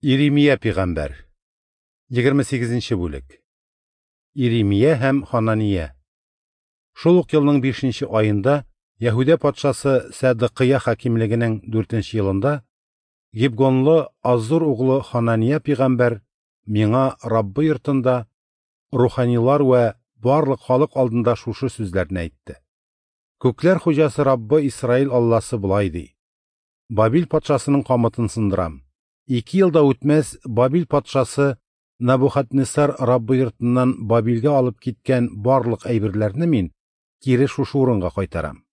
Иремия пигамбәр. 28 нче бүлек. Иремия һәм Ханания. Шул ук елның 5 нче аенда Яһүдә патшасы Сәдыкыя хакимлегенең 4 нче елында Гибгонлы Азур углы Ханания пигамбәр миңа Раббы йортында руханилар вә барлык халык алдында шушы сүзләрне әйтте. Күкләр хуҗасы Раббы Исраил Алласы болай ди: Бабил патшасының камытын сындырам. 2 ел да үтмәс, Бабил патшасы Набухаднессар Раббы йортыннан Бабилгә алып киткән барлык әйберләрне мин кире шушы урынга кайтарам.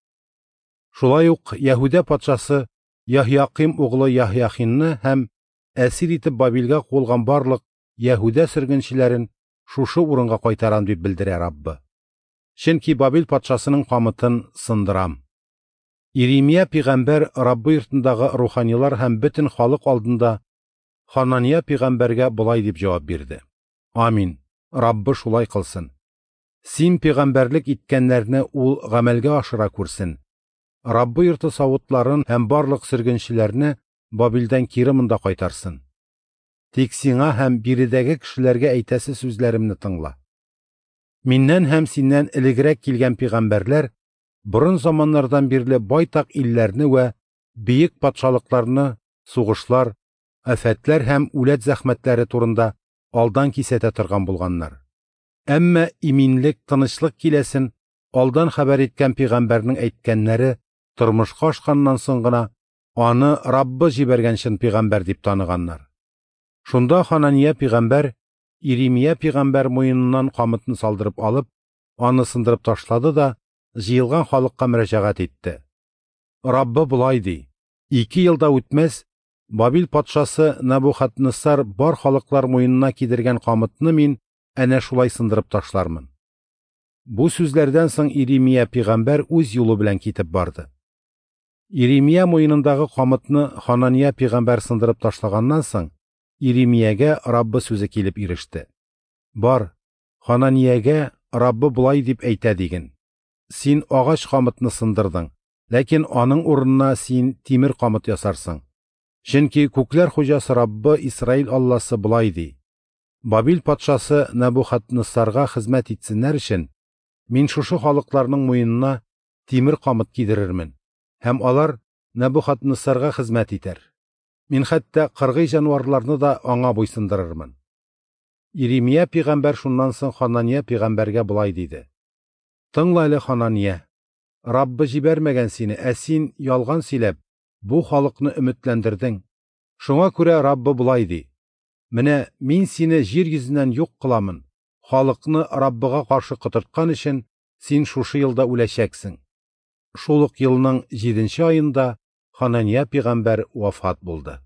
Шулай ук Яһүдә патшасы Яһьяким углы Яһьяхинны һәм әсир итеп Бабилгә куылган барлык Яһүдә сөргенчеләрен шушы урынга кайтарам дип белдерә Раббы. Чөнки Бабил патшасының камытын сындырам. Иремия пигамбәр Раббы йортындагы руханилар һәм бөтен халык алдында Ханания пигамбәргә болай дип җавап бирде: Амин, Раббы шулай кылсын. Син пигамбәрлек иткәннәрне ул гамәлгә ашыра күрсен. Раббы йорты савытларын һәм барлык сөргенчеләрне Бабилдән кире монда кайтарсын. Тик сиңа һәм биредәге кешеләргә әйтәсе сүзләремне тыңла. Миннән һәм синнән элегрәк килгән пигамбәрләр борын заманнардан бирле байтак илләрне вә бөек патшалыкларны сугышлар, афәтләр һәм үләт зәхмәтләре турында алдан кисәтә торган булганнар. Әмма иминлек, тынычлык киләсен алдан хәбәр иткән пигамбәрнең әйткәннәре тормышка ашканнан соң гына аны Раббы җибәргән чын пигамбәр дип таныганнар. Шунда Ханания пигамбәр Иремия пигамбәр муеныннан камытны салдырып алып, аны сындырып ташлады да җыелган халыкка мөрәҗәгать итте. Раббы болай ди: 2 ел да үтмәс, Бабил патшасы Набухаднессар бар халыклар муенына кидергән камытны мин әнә шулай сындырып ташлармын. Бу сүзләрдән соң Иремия пигамбәр үз юлы белән китеп барды. Иремия муенындагы камытны Ханания пигамбәр сындырып ташлаганнан соң Иремиягә Раббы сүзе килеп иреште. Бар, Хананиягә Раббы болай дип әйтә диген: Син агач камытны сындырдың, ләкин аның урынына син тимер камыт ясарсың. Чөнки күкләр хуҗасы Раббы Исраил Алласы болай ди: Бабил патшасы Набухаднессарга хезмәт итсеннәр өчен мин шушы халыкларның муенына тимер камыт кидерермен, һәм алар Набухаднессарга хезмәт итәр. Мин хәтта кыргый җанварларны да аңа буйсындырырмын. Иремия пигамбәр шуннан соң Ханания пигамбәргә болай диде: Тыңла әле, Ханания, Раббы җибәрмәгән сине, ә син ялган сөйләп бу халыкны өметләндердең. Шуңа күрә Раббы болай ди: Менә мин сине җир йөзеннән юк кыламын. Халыкны Раббыга каршы котырткан өчен син шушы елда үләчәксең. Шул ук елның 7 нче аенда Ханания пигамбәр вафат булды.